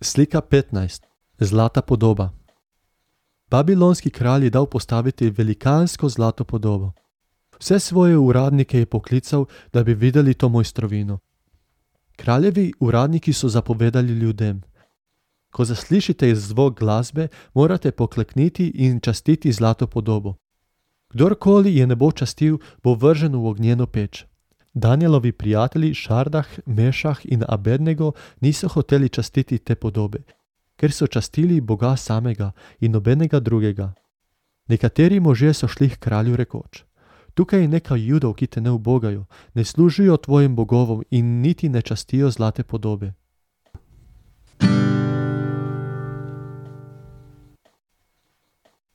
Slika 15. Zlata podoba. Babilonski kralj je dal postaviti velikansko zlato podobo. Vse svoje uradnike je poklical, da bi videli to mojstrovino. Kraljevi uradniki so zapovedali ljudem: ko zaslišite zvok glasbe, morate poklekniti in častiti zlato podobo. Kdorkoli je ne bo častil, bo vržen v ognjeno peč. Danijelovi prijatelji Šardah, Mešah in Abednego niso hoteli častiti te podobe, ker so častili Boga samega in nobenega drugega. Nekateri možje so šli h kralju rekoč: tukaj je nekaj Judov, ki te ne ubogajo, ne služijo tvojim bogovom in niti ne častijo zlate podobe.